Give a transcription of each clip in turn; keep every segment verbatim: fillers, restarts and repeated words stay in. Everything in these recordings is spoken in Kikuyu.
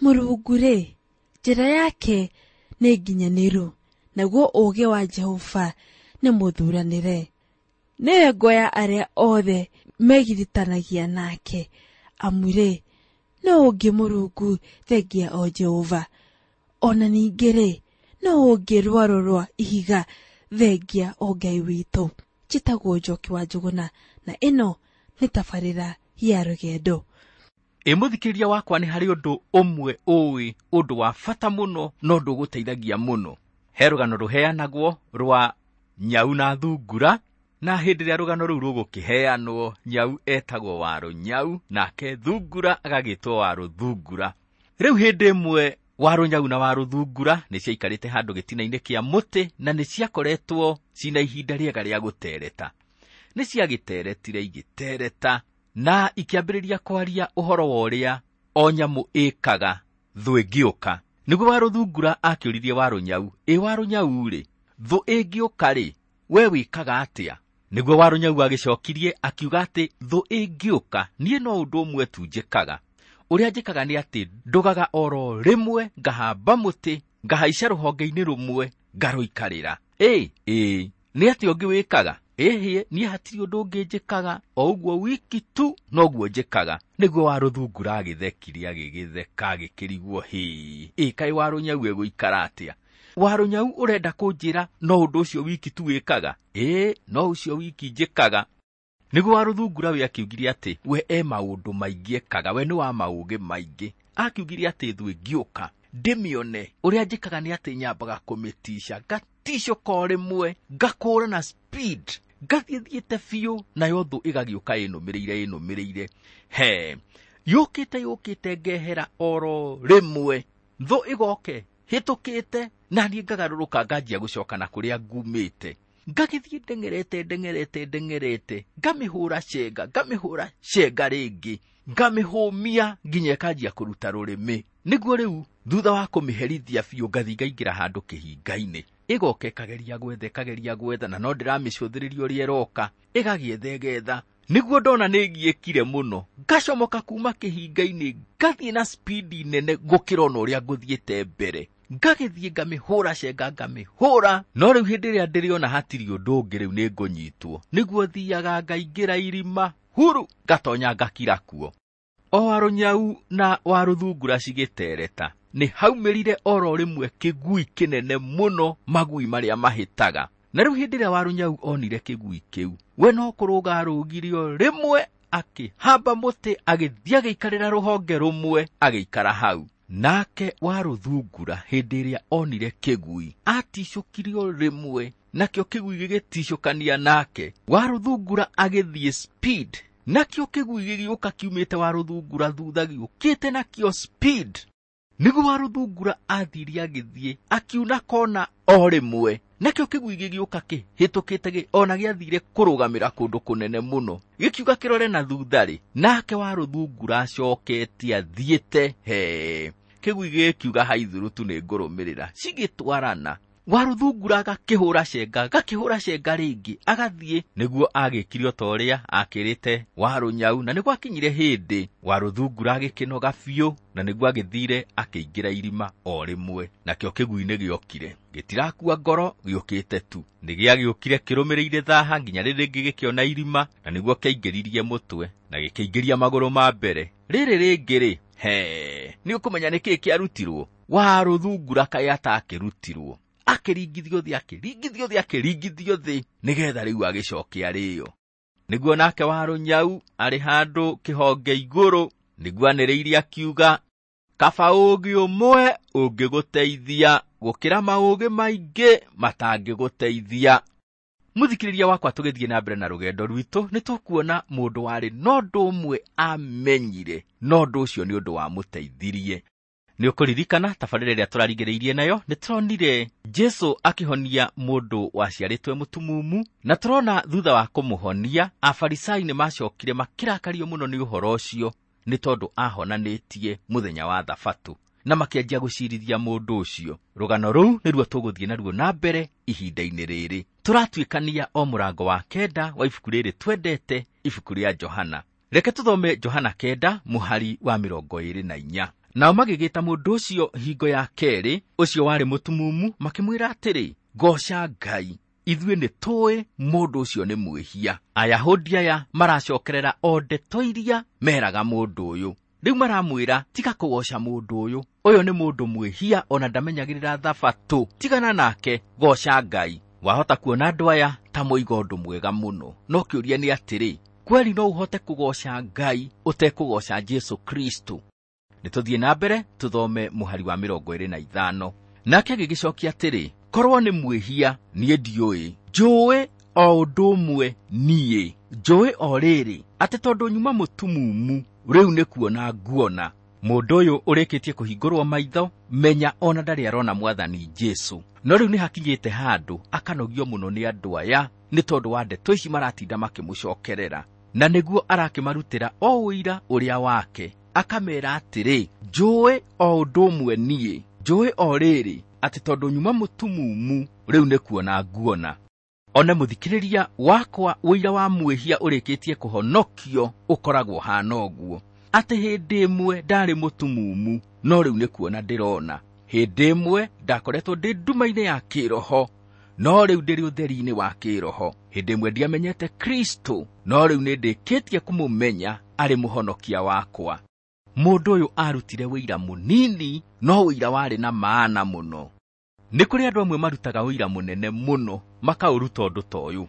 Mũrungu-rĩ, njĩra yake nĩ nginyanĩru, naguo ũũgĩ wa Jehova nĩ mũthuranĩre. Nĩwe ngo ya arĩa othe megiritanagia nake, amu-rĩ, nũũ ũngĩ Mũrungu thengia o Jehova? Ona ningĩ-rĩ, nũũ ũngĩ rwaro rwa ihiga thengia o Ngai witũ? Njĩtagwo Njoki wa Njũgũna, na ĩno nĩ tabarĩra ya rũgendo. Ĩ mũthikĩrĩria wakwa, nĩ harĩ ũndũ ũmwe ũĩ, ũndũ wa bata mũno na ũndũ ũgũteithagia mũno. He rũgano rũheanagwo rwa nyau na thungura, na hĩndĩ ĩrĩa rũgano rũu rũgũkĩheanwo, nyau etagwo Warũnyau, nake thungura agagĩtwo Warũthungura. Rĩu hĩndĩ ĩmwe Warũnyau na Warũthungura nĩ ciaikarĩte handũ gĩtina-inĩ kĩa mũtĩ, na nĩ ciakoretwo cina ihinda rĩega rĩa gũtereta. Nĩ ciagĩteretire igĩtereta, na ikĩambĩrĩria kwaria ũhoro wa ũrĩa o nyamũ ĩkaga thũ ĩngĩũka. Nĩguo Warũthungura akĩũririe Warũnyau, ĩ Warũnyau-rĩ, thũ ĩngĩũka-rĩ, we wĩkaga atĩa? Nĩguo Warũnyau agĩcokirie akiuga atĩ thũ ĩngĩũka, niĩ no ũndũ ũmwe tu njĩkaga. Ũrĩa njĩkaga nĩ atĩ ndũgaga oro rĩmwe, ngahamba mũtĩ, ngahaica rũhonge-inĩ rũmwe, ngarũikarĩra. Ĩ, ĩ, nĩ atĩa ũngĩ wĩkaga? Ĩhĩ, niĩ hatirĩ ũndũ ũngĩ njĩkaga, o ũguo wiki tu noguo njĩkaga. Nĩguo Warũthungura agĩthekire, agĩgĩtheka, agĩkĩrigwo, hĩ, ĩ kaĩ Warũnyau egũikara atĩa? Warũnyau ũrenda kũnjĩra no ũndũ ũcio wiki tu wĩkaga? Ĩ, no ũcio wiki njĩkaga. Nĩguo Warũthungura we akiugire atĩ we e maũndũ maingĩ ekaga, we nĩ wa maũgĩ maingĩ. Akiugire atĩ thũ ĩngĩũka ndĩmĩone, ũrĩa njĩkaga nĩ atĩ nyambaga kũmĩtica, ngaticũka o rĩmwe, ngakũra na speed, ngathiĩ thiĩte biũ, nayo thũ ĩgagĩũka ĩnũmĩrĩire ĩnũmĩrĩire. He, yũkĩte yũkĩte ngehera oro rĩmwe, thũ ĩgoke hĩtũkĩte, na niĩ ngagarũrũka nganjia gũcoka na kũrĩa ngumĩte. Ngagĩthiĩ ndeng'erete ndeng'erete ndeng'erete, ngamĩhũra cenga, ngamĩhũra cenga rĩngĩ, ngamĩhũmia nginya ĩkanjia kũruta rũrĩmĩ. Nĩguo rĩu thutha wa kũmĩherithia biũ ngathiĩ ngaingĩra handũ kĩhinga-inĩ. Ĩgoka ĩkageria gwetha, ĩkageria gwetha, na no ndĩramĩcũthĩrĩria ũrĩa ĩroka, ĩgagĩetha ĩgetha. Nĩguo ndona nĩ ngiĩkire mũno, ngacomoka kuma kĩhinga-inĩ, ngathiĩ na spidi nene gũkĩra ona ũrĩa ngũthiĩte mbere. Ngagĩthiĩ ngamĩhũra cenga, ngamĩhũra, no rĩu hĩndĩ ĩrĩa ndĩrĩona hatirĩ ũndũ ũngĩ rĩu nĩ ngũnyitwo. Nĩguo thiaga ngaingĩra irima huru, ngatonya ngakira kuo. O Warũnyau na Warũthungura cigĩtereta, nĩ haumĩrire oro rĩmwe kĩgui kĩnene mũno, magui marĩa mahĩtaga. Na rĩu hĩndĩ ĩrĩa Warũnyau onire kĩgui kĩu, we no kũrũga arũgire o rĩmwe, akĩhamba mũtĩ, agĩthiĩ agĩikarĩra rũhonge rũmwe, agĩikara hau. Nake Warũthungura hĩndĩ ĩrĩa onire kĩgui, aticũkire o rĩmwe, nakĩo kĩgui gĩgĩticũkania nake. Warũthungura agĩthiĩ speed, nakĩo kĩgui gĩgĩũka kiumĩte Warũthungura thutha gĩũkĩte nakĩo speed. Nĩguo Warũthungura athire agĩthiĩ, akiuna kona o rĩmwe, nakĩo kĩgui gĩgĩũka kĩhĩtũkĩte gĩ, ona gĩathire kũrũgamĩra kũndũ kũnene mũno, gĩkiuga kĩrore na thutha-rĩ, nake Warũthungura acokete athiĩte. He, kĩgui gĩkiuga haithũrũ tu nĩ ngũrũmĩrĩra. Cigĩtwarana, Warũthungura agakĩhũra cenga, agakĩhũra cenga rĩngĩ, agathiĩ. Nĩguo agĩkire o ta ũrĩa akĩrĩte Warũnyau, na nĩguo akinyire hĩndĩ Warũthungura agĩkĩnoga biũ, na nĩguo agĩthire akĩingĩra irima o rĩmwe. Nakĩo kĩgui nĩ gĩokire, gĩtirakua ngoro, gĩũkĩte tu. Nĩ gĩagĩũkire kĩrũmĩrĩire thaha nginya rĩrĩ rĩngĩ gĩkĩona irima, na nĩguo kĩaingĩririe mũtwe na gĩkĩingĩria magũrũ ma mbere. Rĩrĩ rĩngĩ rĩ, he, nĩ ũkũmenya nĩkĩĩ kĩarutirwo? Warũthungura kaĩ atakĩrutirwo, akĩringithio thĩ, akĩringithio thĩ, akĩringithio thĩ, nĩgetha rĩu agĩcoke arĩo. Nĩguo nake Warũnyau arĩ handũ kĩhonge igũrũ, nĩguo anĩrĩire akiuga, kaba ũũgĩ ũmwe ũngĩgũteithia gũkĩra maũgĩ maingĩ matangĩgũteithia. Mũthikĩrĩria wakwa, tũgĩthiĩ na mbere na rũgendo rwitũ, nĩ tũkuona mũndũ warĩ na ũndũ ũmwe amenyire, na ũndũ ũcio nĩ ũndũ wamũteithirie. Nĩ ũkũririkana tabarĩra ĩrĩa tũrarigĩrĩirie nayo, nĩ tũronire Jesũ akĩhonia mũndũ waciarĩtwo mũtumumu, na tũrona thutha wa kũmũhonia, Afarisai nĩ macokire makĩrakario mũno nĩ ũhoro ũcio, nĩ tondũ ahonanĩtie mũthenya wa Thabatũ, na makĩanjia gũcirithia mũndũ ũcio. Rũgano rũu nĩruo tũgũthiĩ naruo na mbere ihinda-inĩ rĩrĩ. Tũratuĩkania o mũrango wa kenda wa ibuku rĩrĩ twendete, ibuku rĩa Johana. Reke tũthome Johana kenda mũhari wa mĩrongo ĩĩrĩ na inya. Nao magĩgĩta mũndũ ũcio hingo ya kerĩ, ũcio warĩ mũtumumu, makĩmwĩra atĩrĩ, goca Ngai, ithuĩ nĩ tũĩ mũndũ ũcio nĩ mwĩhia. Ayahudi aya maracokerera o ndeto iria meraga mũndũ ũyũ. Rĩu maramwĩra tiga kũgoca mũndũ ũyũ, ũyũ nĩ mũndũ mwĩhia ona ndamenyagĩrĩra thabatũ, tigana nake, goca Ngai. Wahota kuona andũ aya ta moiga ũndũ mwega mũno, no kĩũria nĩ atĩrĩ, kweli no ũhote kũgoca Ngai ũtekũgoca Jesu Kristo? Nĩ tũthiĩ na mbere tũthome mũhari wa mĩrongo ĩrĩ na ithano. Nake agĩgĩcokia atĩrĩ, korwo nĩ mwĩhia niĩ ndiũĩ, njũĩ o ũndũ ũmwe niĩ, njũĩ o rĩrĩ atĩ tondũ nyuma mũtumumu rĩu nĩ kuona nguona. Mũndũ ũyũ ũrĩkĩtie kũhingũrwo maitho, menya ona ndarĩ arona Mwathani Jesu. No rĩu nĩ hakinyĩte handũ akanogio mũno nĩ andũ aya nĩ tondũ wa ndeto ici maratinda makĩmũcokerera, na nĩguo arakĩmarutĩra o ũira ũrĩa wake, akamera atĩrĩ, njũĩ o ũndũ ũmwe niĩ, njũĩ o rĩrĩ atĩ tondũ nyuma mũtumumu rĩu nĩ kuona nguona. One mũthikĩrĩria wakwa, ũira wa mwĩhia ũrĩkĩtie kũhonokio ũkoragwo hana ũguo, atĩ hĩndĩ ĩmwe ndarĩ mũtumumu no rĩu nĩ kuona ndĩrona. Hĩndĩ ĩmwe ndakoretwo ndĩ nduma-inĩ ya kĩroho no rĩu ndĩrĩ ũtheri-inĩ wa kĩroho. Hĩndĩ ĩmwe ndiamenyete Kristo no rĩu nĩ ndĩkĩtie kũmũmenya arĩ mũhonokia wakwa. Mũndũ ũyũ arutire ũira mũnini no ũira warĩ na maana mũno. Nĩ kũrĩ andũ amwe marutaga ũira mũnene mũno makaũruta ũndũ ta ũyũ.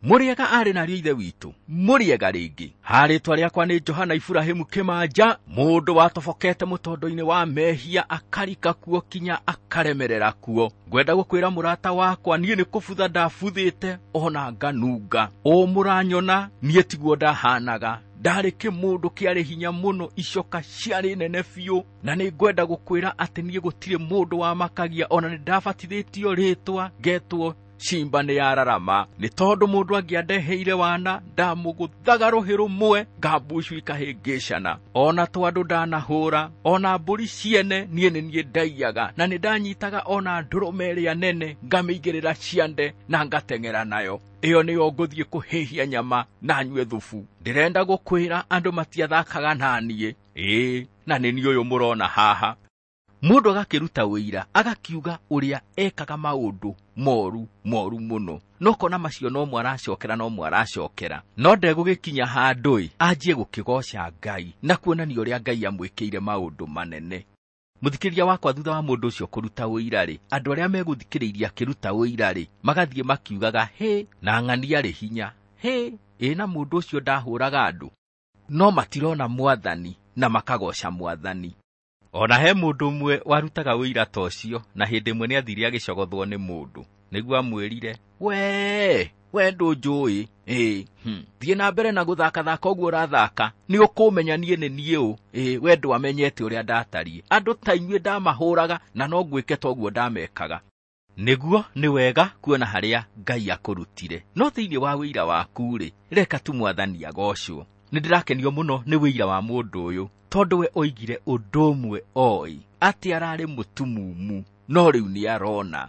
Mũrĩega arĩ narĩo ithe witũ, mũrĩega rĩngĩ. Harĩtwa rĩakwa nĩ Johana Iburahĩmu Kĩmanja, mũndũ watobokete mũtondo-inĩ wa mehia akarika kuo kinya akaremerera kuo. Ngwenda gũkwĩra mũrata wakwa, niĩ nĩ kũbutha ndabuthĩte ona nganunga. Ũ mũranyona niĩ tiguo ndahanaga, ndarĩ kĩmũndũ kĩarĩ hinya mũno, icoka ciarĩ nene biũ, na nĩ ngwenda gũkwĩra atĩ niĩ gũtirĩ mũndũ wamakagia, ona nĩ ndabatithĩtio rĩtwa ngetwo Shimba nĩ yararama, nĩ tondũ mũndũ angĩandeheire wana ndamũgũthaga rũhĩ rũmwe ngambucu ikahĩngĩcana. Ona twandũ ndanahũra, ona mbũri ciene niĩ nĩ niĩ ndaiyaga, na nĩ ndanyitaga ona ndũrũme ĩrĩa nene ngamĩigĩrĩra ciande na ngateng'era nayo. Ĩyo nĩyo ngũthiĩ kũhĩhia nyama na nyue thubu. Ndĩrenda gũkwĩra andũ matiathakaga na niĩ, ĩĩ na nĩ niĩ ũyũ mũrona haha. Mũndũ agakĩruta ũira agakiuga ũrĩa ekaga maũndũ moru moru mũno, no kona macio no mwaracokera no mwaracokera, no ndegũgĩkinya handũ anjie gũkĩgoca Ngai na kuonania ũrĩa Ngai amwĩkĩire maũndũ manene. Mũthikĩrĩria wakwa, thutha wa mũndũ ũcio kũruta ũira rĩ, andũ arĩa megũthikĩrĩirie akĩruta ũira rĩ, magathiĩ makiugaga hĩ na ng'ania rĩ hinya, hĩ ĩ na mũndũ ũcio ndahũraga andũ, no matirona Mwathani na makagoca Mwathani. Ona he mũndũ ũmwe warutaga ũira ta ũcio, na hĩndĩ ĩmwe nĩ athire agĩcogothwo nĩ mũndũ, nĩguo amwĩrire, we we ndũnjũĩ, ĩ hmm. thiĩ na mbere na gũthakathaka ũguo ũrathaka, nĩ ũkũmenya niĩ nĩ niĩ ũ, ĩ we ndwamenyete ũrĩa ndatariĩ, andũ ta inyuĩ ndamahũraga na no ngwĩke ta ũguo ndamekaga. Nĩguo nĩ wega kuona harĩa Ngai akũrutire, no thĩinĩ wa ũira waku rĩ, reka tu Mwathani agocwo. Nĩ ndĩrakenio mũno nĩ ũira wa mũndũ ũyũ, tondũ we oigire ũndũ ũmwe oĩ, atĩ ararĩ mũtumumu no rĩu nĩ arona.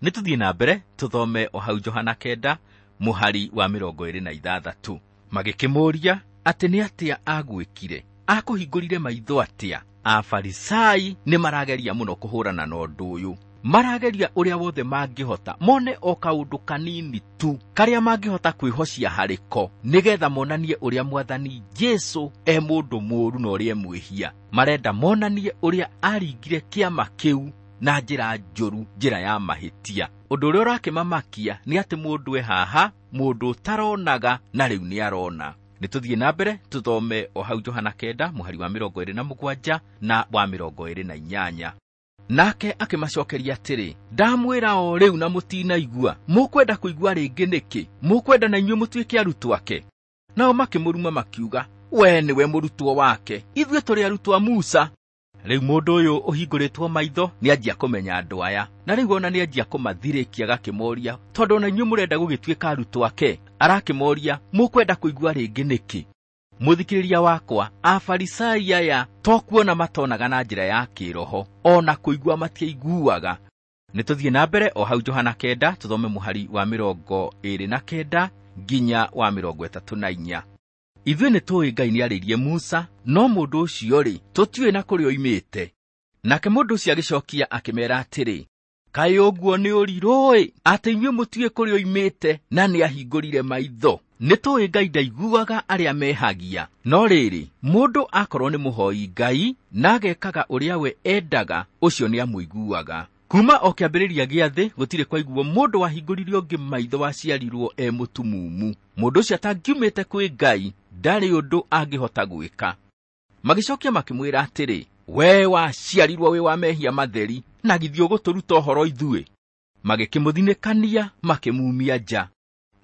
Nĩ tũthiĩ na mbere tũthome o hau Johana kenda mũhari wa mĩrongo ĩrĩ na ithathatũ. Magĩkĩmũũria atĩ nĩ atĩa agwĩkire, akũhingũrire maitho atĩa? Afarisai nĩ marageria mũno kũhũrana na ũndũ ũyũ, marageria ũrĩa wothe mangĩhota mone o kaũndũ kanini tu karĩa mangĩhota kwĩhocia harĩko, nĩgetha monanie ũrĩa Mwathani Jesu e mũndũ mũũru na ũrĩa e mwĩhia. Marenda monanie ũrĩa aringire kĩama kĩu na njĩra njũru, njĩra ya mahĩtia. Ũndũ ũrĩa ũrakĩmamakia nĩ atĩ mũndũ e haha, mũndũ ũtaronaga na rĩu nĩ arona. Nĩ tũthiĩ na mbere tũthome o hau Johana kenda mũhari wa mĩrongo ĩrĩ na mũgwanja na wa mĩrongo ĩrĩ na inyanya. Nake akĩmacokeria atĩrĩ, ndamwĩra o rĩu na mũtinaigua, mũkwenda kũigua rĩngĩ nĩkĩ? Mũkwenda na inyuĩ mũtuĩke arutwo ake? Nao makĩmũruma makiuga, we nĩwe mũrutwo wake, ithuĩ tũrĩ arutwo a Musa. Rĩu mũndũ ũyũ ũhingũrĩtwo maitho nĩ anjia kũmenya andũ aya, na rĩu ona nĩ anjia kũmathirĩkia agakĩmoria, tondũ ona inyuĩ mũrenda gũgĩtuĩka arutwo ake? Arakĩmoria, mũkwenda kũigua rĩngĩ nĩkĩ? Mũthikĩrĩria wakwa, Afarisai aya to kuona matonaga na njĩra ya kĩroho, ona kũigua matiaiguaga. Nĩ tũthiĩ na mbere o hau Johana kenda tũthome mũhari wa mĩrongo ĩrĩ na kenda nginya wa mĩrongo ĩtatũ na inya. Ithuĩ nĩ tũĩ Ngai nĩarĩirie Musa, no mũndũ ũcio rĩ, tũtiũĩ na kũrĩa oimĩte. Nake mũndũ ũcio agĩcokia akĩmeera atĩrĩ, kaĩ ũguo nĩ ũrirũ-ĩ, atĩ inyuĩ mũtiũĩ kũrĩa oimĩte na nĩahingũrire maitho. Nĩ tũĩ Ngai ndaiguaga arĩa mehagia, no rĩrĩ, mũndũ akorwo nĩ mũhoi Ngai na agekaga ũrĩa we endaga, ũcio nĩamũiguaga. Kuma o kĩambĩrĩria gĩa thĩ gũtirĩ kwaiguo mũndũ wahingũrire ũngĩ maitho waciarirwo e mũtumumu. Mũndũ ũcio atangiumĩte kwĩ Ngai ndarĩ ũndũ angĩhota gwĩka. Magĩcokia makĩmwĩra atĩrĩ, we waciarirwo wĩ wa mehia matheri, na githĩ ũgũtũruta ũhoro ithuĩ? Magĩkĩmũthinĩkania makĩmumia nja.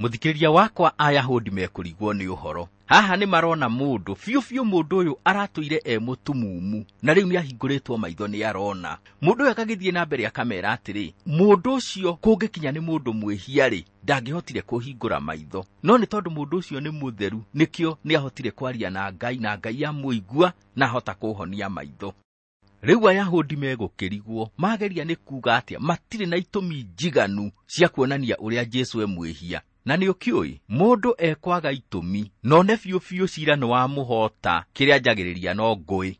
Mũthikĩrĩria wakwa, Ayahudi mekũrigwo nĩ ũhoro. Haha nĩ marona mũndũ biũ biũ, mũndũ ũyũ aratũire e mũtumumu na rĩu nĩahingũrĩtwo maitho nĩ arona. Mũndũ ũyũ agagĩthiĩ na mbere akamera atĩrĩ, mũndũ ũcio kũngĩkinya nĩ mũndũ mwĩhia-rĩ, ndangĩhotire kũhingũra maitho, no nĩ tondũ mũndũ ũcio nĩ mũtheru nĩkĩo nĩahotire kwaria na Ngai, na Ngai amũigua na ahota kũhonia maitho. Rĩu Ayahudi megũkĩrigwo mageria nĩ kuuga atĩa, matirĩ na itũmi njiganu cia kuonania ũrĩa Jesũ e mwĩhia. Na nĩ ũkĩũĩ mũndũ ekwaga itũmi none biũ biũ cira nĩ wamũhota, kĩrĩa njagĩrĩria no ngũĩ.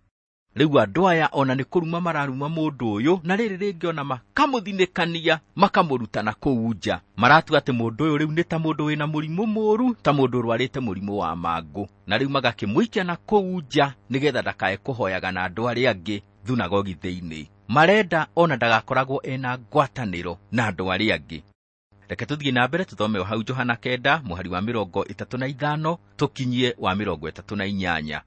Rĩu andũ aya ona nĩ kũruma mararuma mũndũ ũyũ, na rĩrĩ rĩngĩ ona makamũthinĩkania makamũruta na kũu nja. Maratua atĩ mũndũ ũyũ rĩu nĩ ta mũndũ wĩna mũrimũ mũũru, ta mũndũ ũrwarĩte mũrimũ wa mangũ, na rĩu magakĩmũikia na kũu nja nĩgetha ndakae kũhoyaga na andũ arĩa angĩ thunagogi thĩinĩ. Marenda ona ndagakoragwo ena ngwatanĩro na andũ arĩa angĩ. Reke tũthiĩ na mbere tũthome o hau Johana kenda mũhari wa mĩrongo ĩtatũ na ithano tũkinyie wa mĩrongo ĩtatũ na inyanya.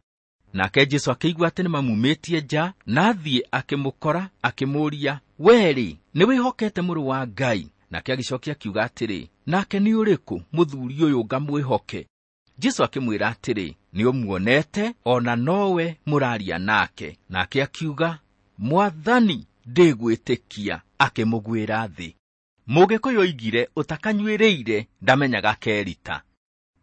Nake Jesũ akĩigua atĩ nĩmamumĩtie nja, na athiĩ akĩmũkora akĩmũũria, we-rĩ, nĩwĩhokete mũrũ wa Ngai? Nake agĩcokia akiuga atĩrĩ, nake nĩ ũrĩkũ mũthuri ũyũ ngamwĩhoke? Jesũ akĩmwĩra atĩrĩ, nĩũmuonete, ona nowe mũraria nake. Nake akiuga, Mwathani, ndĩgwĩtĩkia. Akĩmũgwĩra thĩ. Mũgĩkũyũ oigire ũtakanyuĩrĩire ndamenyaga kerita.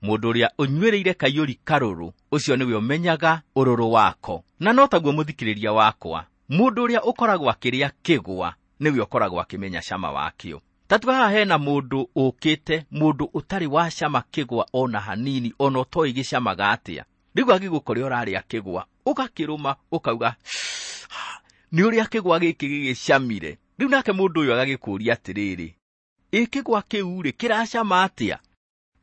Mũndũ ũrĩa ũnyuĩrĩire kaiyũri karũrũ, ũcio nĩwe ũmenyaga ũrũrũ wako. Na no taguo mũthikĩrĩria wakwa, mũndũ ũrĩa ũkoragwo akĩrĩa kĩgwa nĩwe ũkoragwo akĩmenya cama wakĩo. Tatua haha hena mũndũ ũkĩte, mũndũ ũtarĩ wa cama kĩgwa ona hanini, ona ũtoĩ gĩcamaga atĩa. Rĩu agĩgũkore ũrarĩa kĩgwa, ũgakĩrũma ũkauga nĩ ũrĩa kĩgwa gĩkĩ gĩgĩcamire. Rĩu nake mũndũ ũyũ agagĩkũũria atĩrĩrĩ, ĩ kĩgwa kĩu rĩ kĩracama atĩa?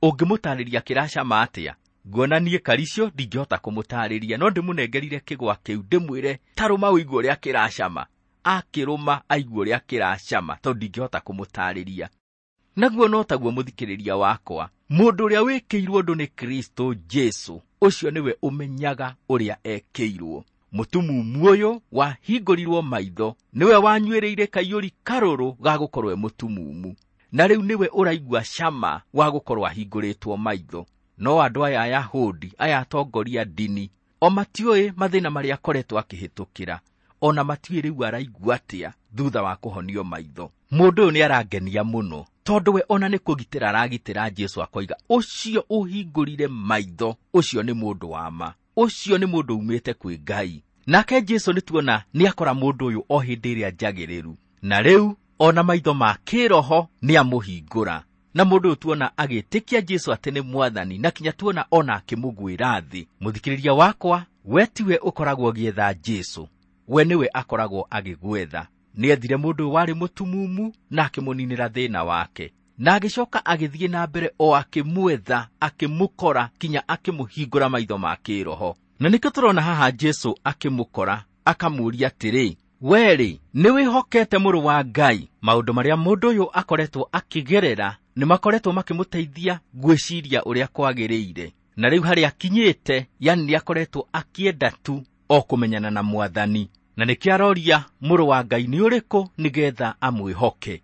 Ũngĩmũtarĩria kĩracama atĩa? Nguona niĩ Karicio ndingĩhota kũmũtarĩria, no ndĩmũnengerire kĩgwa kĩu ndĩmwĩre tarũma ũigue ũrĩa kĩracama. Akĩrũma aigue ũrĩa kĩracama, tondũ ndingĩhota kũmũtarĩria. Naguo no taguo mũthikĩrĩria wakwa, mũndũ ũrĩa wĩkĩirwo ũndũ nĩ Kristo Jesũ, ũcio nĩwe ũmenyaga ũrĩa ekĩirwo. Mũtumumu ũyũ wahingũrirwo maitho nĩwe wanyuĩrĩire kaiyũri karũrũ ga gũkorwo e mũtumumu, na rĩu nĩwe ũraigua cama wa gũkorwo ahingũrĩtwo maitho. No andũ aya Ayahudi, aya atongoria ndini, o matiũĩ mathĩna marĩa akoretwo akĩhĩtũkĩra, ona matiũĩ rĩu araigua atĩa thutha wa kũhonio maitho. Mũndũ ũyũ nĩarangenia mũno, tondũ we ona nĩ kũgitĩra aragitĩra Jesũ, akoiga ũcio ũhingũrire maitho, ũcio nĩ mũndũ wa ma, ũcio nĩ mũndũ umĩte kwĩ Ngai. Nake Jesũ nĩtuona nĩakora mũndũ ũyũ o hĩndĩ ĩrĩa njagĩrĩru, na rĩu ona maitho ma kĩroho nĩamũhingũra. Na mũndũ ũyũ tuona agĩtĩkia Jesũ atĩ nĩ Mwathani, na kinya tuona ona akĩmũgwĩra thĩ. Mũthikĩrĩria wakwa, we tiwe ũkoragwo ũgĩetha Jesũ, we nĩwe akoragwo agĩgwetha. Nĩethire mũndũ ũyũ warĩ mũtumumu na akĩmũninĩra thĩna wake, na agĩcoka agĩthiĩ na mbere o akĩmwetha, akĩmũkora kinya akĩmũhingũra maitho ma kĩroho. Na nĩkĩo tũrona haha Jesũ akĩmũkora akamũũria atĩrĩ, we-rĩ, nĩwĩhokete mũrũ wa Ngai? Maũndũ marĩa mũndũ ũyũ akoretwo akĩgerera nĩmakoretwo makĩmũteithia gwĩciria ũrĩa kwagĩrĩire, na rĩu harĩa akinyĩte, yani nĩakoretwo akĩenda tu o kũmenyana na Mwathani. Na nĩkĩo aroria mũrũ wa Ngai nĩ ũrĩkũ nĩgetha amwĩhoke.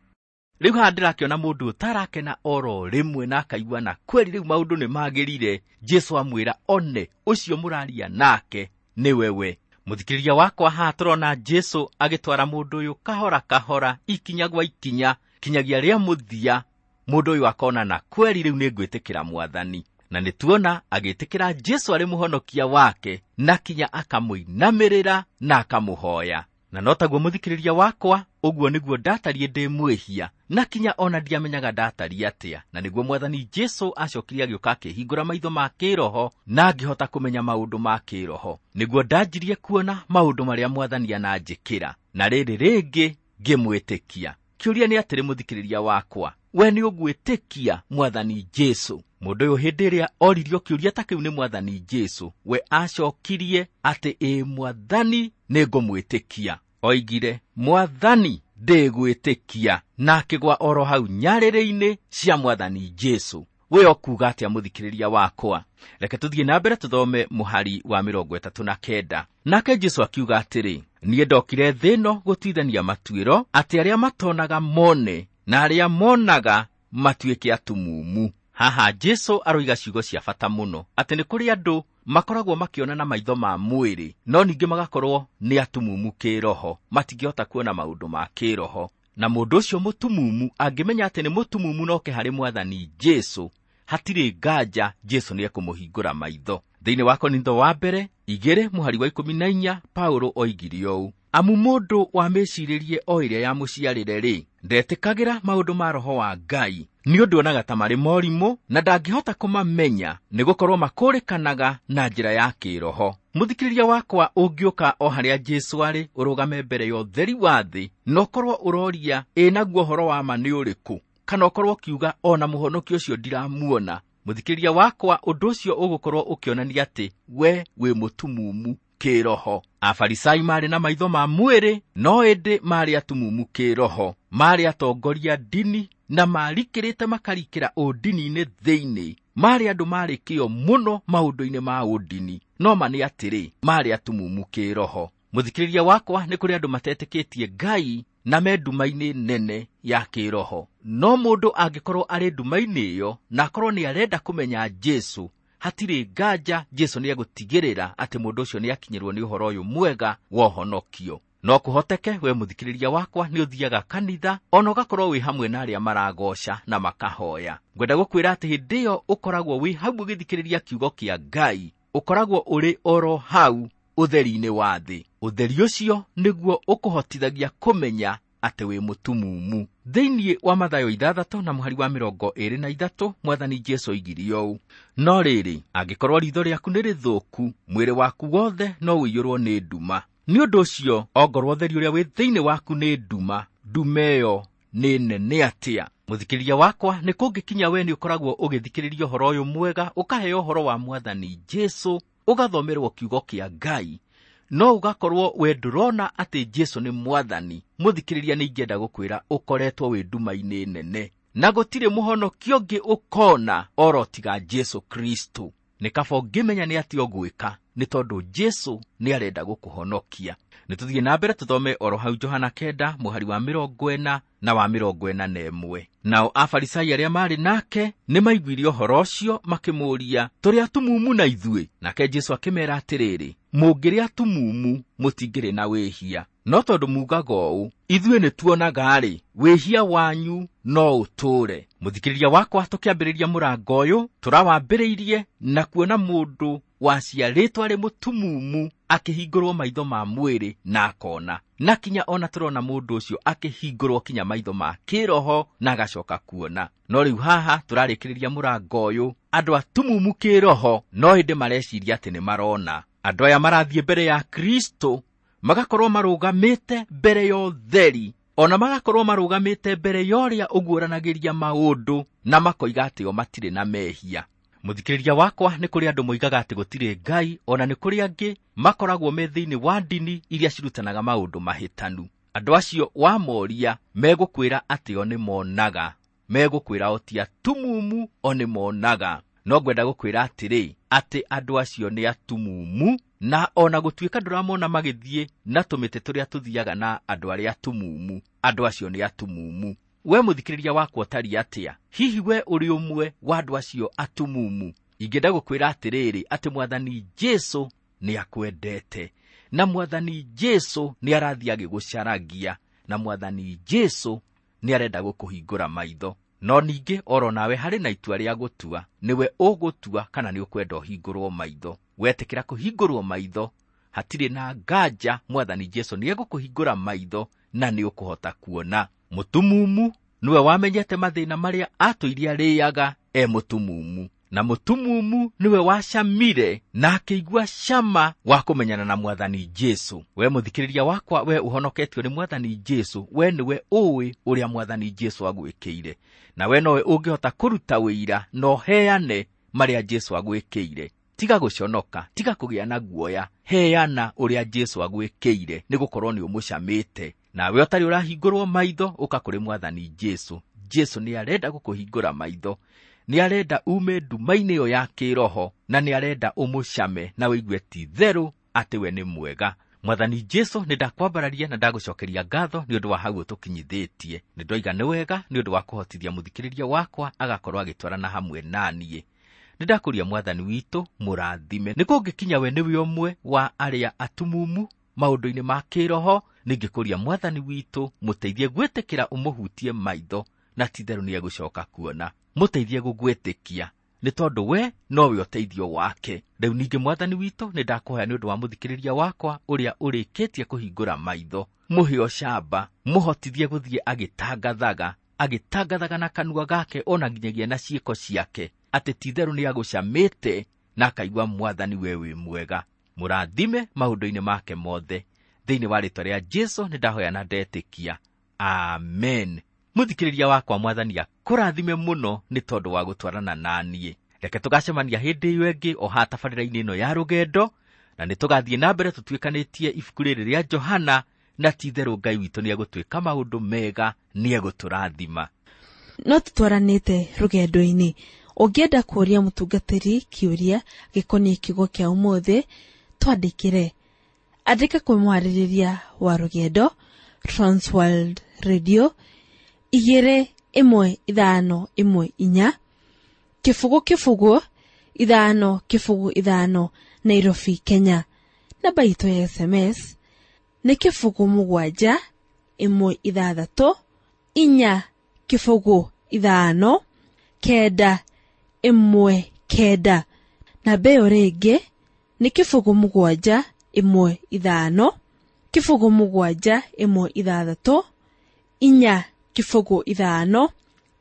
Rĩu haha ndĩrakĩona mũndũ ũtarakena oro rĩmwe na akaigua na kweri rĩu maũndũ nĩmagĩrire. Jesũ amwĩra one ũcio mũraria nake nĩwe we. Mũthikĩrĩria wakwa, haha tũrona Jesũ agĩtwara mũndũ ũyũ kahora kahora, ikinya gwa ikinya, kinyagia rĩa mũthia, mũndũ ũyũ akona na kweri rĩu nĩngwĩtĩkĩra Mwathani. Na nĩtuona agĩtĩkĩra Jesũ arĩ mũhonokia wake, na kinya akamũinamĩrĩra na akamũhoya. Na Na no taguo mũthikĩrĩria wakwa, ũguo nĩguo ndatariĩ ndĩ mwĩhia, na kinya ona ndiamenyaga ndatariĩ atĩa. Na nĩguo Mwathani Jesũ acokire agĩũka akĩhingũra maitho ma kĩroho na ngĩhota kũmenya maũndũ ma kĩroho. Nĩguo ndanjirie kuona maũndũ marĩa Mwathani ananjĩkĩra, na rĩrĩ rĩngĩ ngĩmwĩtĩkia. Kĩũria nĩ atĩrĩ mũthikĩrĩria wakwa, we nĩ ũgwĩtĩkia Mwathani Jesũ? Mũndũ ũyũ hĩndĩ ĩrĩa oririo kĩũria ta kĩu nĩ Mwathani Jesũ, we acokirie atĩ ĩ Mwathani nĩngũmwĩtĩkia. Oigire, Mwathani ndĩgwĩtĩkia, na akĩgwa oro hau nyarĩrĩ-inĩ cia Mwathani Jesũ. We ũkuuga atĩa mũthikĩrĩria wakwa? Reke tũthiĩ na mbere tũthome mũhari wa mĩrongo ĩtatũ na kenda. Nake Jesũ akiuga atĩrĩ, niĩ ndokire thĩ ĩno gũtuithania matuĩro, atĩ arĩa matonaga mone na arĩa monaga matuĩke atumumu. Haha Jesũ aroiga ciugo cia bata mũno, atĩ nĩ kũrĩ andũ makoragwo makĩona na maitho ma mwĩrĩ, no ningĩ magakorwo nĩ atumumu kĩroho, matingĩhota kuona maũndũ ma kĩroho. Na mũndũ ũcio mũtumumu angĩmenya atĩ nĩ mũtumumu noke harĩ Mwathani Jesũ, hatirĩ nganja Jesũ nĩekũmũhingũra maitho. Thĩinĩ wa Korintho wa mbere igĩrĩ mũhari wa ikũmi na inya, Paulo oigire ũũ, amu mũndũ wa mĩcirĩrie o ĩrĩa yamũciarĩre-rĩ, ndetĩkagĩra maũndũ ma Roho wa Ngai, nĩ ũndũ onaga ta marĩ morimũ na ndangĩhota kũmamenya, nĩgũkorwo makũrĩkanaga na njĩra ya kĩroho. Mũthikĩrĩria wakwa, ũngĩũka o harĩa Jesũ arĩ, ũrũgame mbere ya ũtheri wa thĩ, na ũkorwo ũroria ĩ naguo ũhoro wa ma nĩ ũrĩkũ, kana ũkorwo ũkiuga ona mũhonoki ũcio ndiramuona, mũthikĩrĩria wakwa, ũndũ ũcio ũgũkorwo ũkĩonania atĩ we wĩ mũtumumu kĩroho. Afarisai marĩ na maitho ma mwĩrĩ, no ĩndĩ marĩ atumumu kĩroho. Marĩ atongoria ndini na marikĩrĩte makarikĩra ũndini-inĩ thĩinĩ. Marĩ andũ marĩ kĩo mũno maũndũ-inĩ ma ũndini, no ma nĩ atĩrĩ, marĩ atumumu kĩroho. Mũthikĩrĩria wakwa, nĩ kũrĩ andũ matetĩkĩtie Ngai na me nduma-inĩ nene ya kĩroho. No mũndũ angĩkorwo arĩ nduma-inĩ ĩyo na akorwo nĩ arenda kũmenya Jesũ, hatirĩ nganja Jesũ nĩegũtigĩrĩra atĩ mũndũ ũcio nĩakinyĩrwo nĩ ũhoro ũyũ mwega wa ũhonokio. No kũhoteke we mũthikĩrĩria wakwa nĩ ũthiaga kanitha ona ũgakorwo wĩ hamwe na arĩa maragoca na makahoya. Ngwenda gũkwĩra atĩ hĩndĩ ĩyo ũkoragwo wĩ hau ũgĩthikĩrĩria kiugo kĩa Ngai, ũkoragwo ũrĩ oro hau ũtheri-inĩ wa thĩ. Ũtheri ũcio nĩguo ũkũhotithagia kũmenya atĩ wĩ mũtumumu. Thĩinĩ wa Mathayo ithathatũ na mũhari wa mĩrongo ĩĩrĩ na ithatũ, Mwathani Jesũ oigire ũũ, no rĩrĩ, angĩkorwo riitho rĩaku nĩ rĩthũku, mwĩrĩ waku wothe no ũiyũrwo nĩ nduma. Nĩ ũndũ ũcio, ongorwo ũtheri ũrĩa wĩ thĩinĩ waku nĩ nduma, nduma ĩyo nĩ nene atĩa? Mũthikĩrĩria wakwa, nĩ kũngĩkinya we nĩ ũkoragwo ũgĩthikĩrĩria ũhoro ũyũ mwega, ũkaheo ũhoro wa Mwathani Jesũ, ũgathomerwo kiugo kĩa Ngai, no ũgakorwo we ndũrona atĩ Jesũ nĩ Mwathani. Mũthikĩrĩria, nĩ ingĩenda gũkwĩra ũkoretwo wĩ nduma-inĩ nene, na gũtirĩ mũhonokio ũngĩ ũkona oro tiga Jesũ Kristo. Nĩ kaba ũngĩmenya nĩ atĩa ũgwĩka, nĩ tondũ Jesũ nĩ arenda gũkũhonokia. Nĩ tũthiĩ na mbere tũthome oro hau Johana kenda mũhari wa mĩrongo ĩna na wa mĩrongo ĩna na ĩmwe. Nao Afarisai arĩa marĩ nake nĩ maiguire ũhoro ũcio, makĩmũũria, tũrĩ atumumu na ithuĩ? Nake Jesũ akĩmeera atĩrĩrĩ, mũngĩrĩ atumumu mũtingĩrĩ na wĩhia, no tondũ mugaga ũũ, ithuĩ nĩ tuonaga-rĩ, wĩhia wanyu no ũtũũre. Mũthikĩrĩria wakwa, tũkĩambĩrĩria mũrango ũyũ tũrawambĩrĩirie na kuona mũndũ waciarĩtwo arĩ mũtumumu akĩhingũrwo maitho ma mwĩrĩ na akona, na kinya ona tũrona mũndũ ũcio akĩhingũrwo kinya maitho ma kĩroho na agacoka kuona. No rĩu haha tũrarĩkĩrĩria mũrango ũyũ, andũ atumumu kĩroho no hĩndĩ mareciria atĩ nĩ marona. Andũ aya marathiĩ mbere ya Kristo, magakorwo marũgamĩte mbere ya ũtheri, ona magakorwo marũgamĩte mbere ya ũrĩa ũguũranagĩria maũndũ, na makoiga atĩ o matirĩ na mehia. Mũthikĩrĩria wakwa, nĩ kũrĩ andũ moigaga atĩ gũtirĩ Ngai, ona nĩ kũrĩ angĩ makoragwo me thĩinĩ wa ndini iria cirutanaga maũndũ mahĩtanu. Andũ acio wamoria megũkwĩra atĩ o nĩ monaga, megũkwĩra o ti atumumu, o nĩ monaga. No ngwenda gũkwĩra atĩrĩ, atĩ andũ acio nĩ atumumu, na ona gũtuĩka ndũramona magĩthiĩ na tũmĩtĩ tũrĩa tũthiaga na andũ arĩa atumumu, andũ acio nĩ atumumu. We mũthikĩrĩria wakwa ũtariĩ atĩa? Hihi we ũrĩ ũmwe wa andũ acio atumumu? Ingĩenda gũkwĩra atĩrĩrĩ, atĩ Mwathani Jesũ nĩ akwendete, na Mwathani Jesũ nĩ arathiĩ agĩgũcaragia, na Mwathani Jesũ nĩ arenda gũkũhingũra maitho. No ningĩ oro nawe harĩ na itua rĩa gũtua, nĩwe ũgũtua kana nĩ ũkwenda ũhingũrwo maitho. Wetĩkĩra kũhingũrwo maitho, Hatirĩ na nganja Mwathani Jesu nĩ egũkũhingũra maitho na nĩ ũkũhota kuona. Mũtumumu nĩwe wamenyete mathĩna marĩa atũire arĩaga e mũtumumu, na mũtumumu nĩwe wacamire na akĩigua cama wa kũmenyana na Mwathani Jesu. We mũthikĩrĩria wakwa, we ũhonoketio nĩ Mwathani Jesu, we nĩwe ũĩ ũrĩa Mwathani Jesu agwĩkĩire, na we nowe ũngĩhota kũruta wĩira na ũheane marĩa Jesu agwĩkĩire. Tiga gũconoka, tiga kũgĩa na guoya, heana ũrĩa Jesu agwĩkĩire, nĩgũkorwo nĩ ũmũcamĩte. Nawe ũtarĩ ũrahingũrwo maitho, ũka kũrĩ Mwathani Jesu. Jesu nĩ arenda gũkũhingũra maitho, nĩ arenda ume nduma-inĩ ĩyo ya kĩroho, na nĩ arenda ũmũcame na ũigue ti therũ atĩ we nĩ mwega. Mwathani Jesu, nĩ ndakwambararia na ndagũcokeria ngatho nĩ ũndũ wa hau ũtũkinyithĩtie. Nĩ ndoiga nĩ wega nĩ ũndũ wa kũhotithia mũthikĩrĩria wakwa agakorwo agĩtwarana hamwe naniĩ. Nĩ ndakũria Mwathani witũ mũrathime. Nĩ kũngĩkinya we nĩwe ũmwe wa arĩa atumumu maũndũ-inĩ ma kĩroho, nĩngĩkũria Mwathani witũ mũteithie gwĩtĩkĩra ũmũhutie maitho, na ti therũ nĩ egũcoka kuona. Mũteithie gũgwĩtĩkia, nĩ tondũ we nowe ũteithio wake. Rĩu ningĩ Mwathani witũ nĩ ndakũhoya nĩ ũndũ wa mũthikĩrĩria wakwa ũrĩa ũrĩkĩtie kũhingũra maitho, mũhe ũcamba, mũhotithie gũthiĩ agĩtangathaga, agĩtangathaga na kanua gake ona nginyagia na ciĩko ciake, atĩ ti therũ nĩ agũcamĩte na akaigua Mwathani we wĩ mwega. Mũrathime maũndũ-inĩ make mothe. Thĩinĩ wa rĩĩtwa rĩa Jesu nĩ ndahoya na ndetĩkia, amen. Mũthikĩrĩria wakwa, Mwathani akũrathime mũno nĩ tondũ wa gũtwarana naniĩ. Reke tũgacemania hĩndĩ ĩyo ĩngĩ o haha tabarĩra-inĩ ĩno ya rũgendo, na nĩ tũgathiĩ na mbere tũtuĩkanĩtie ibuku rĩrĩ rĩa Johana, na ti therũ Ngai witũ nĩ egũtwĩka maũndũ mega, nĩ egũtũrathima. No tũtwaranĩte rũgendo-inĩ. Ũngĩenda kũũria mũtungatĩri kĩũria gĩkoniĩ kiugo kĩa ũmũthĩ, twandĩkĩre. Andĩka kwĩ mwarĩrĩria wa rũgendo, Transworld Radio, igĩrĩ ĩmwe ithano ĩmwe inya, kĩbũgũ kĩbũgũ ithano kĩbũgũ ithano, Nairobi, Kenya. Namba itũ ya S M S nĩ kĩbũgũ mũgwanja ĩmwe ithathatũ inya kĩbũgũ ithano kenda ĩmwe kenda. Namba ĩyo rĩngĩ nĩ kĩbũgũ mũgwanja ĩmwe ithano kĩbũgũ mũgwanja ĩmwe ithathatũ inya kĩbũgũ ithano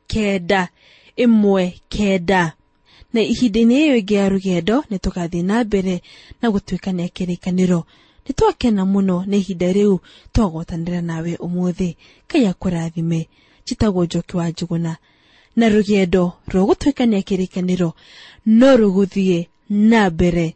kenda ĩmwe kenda. Na ihinda-inĩ ĩyo ĩngĩ ya rũgendo nĩ tũgathiĩ na mbere na gũtuĩkania kĩrĩkanĩro. Nĩ twakena mũno nĩ ihinda rĩu twagwatanĩra nawe ũmũthĩ. Ngai akũrathime. Njĩtagwo Njoki wa Njũgũna, na rũgendo rwa gũtuĩkania kĩrĩkanĩro no rũgũthiĩ na mbere.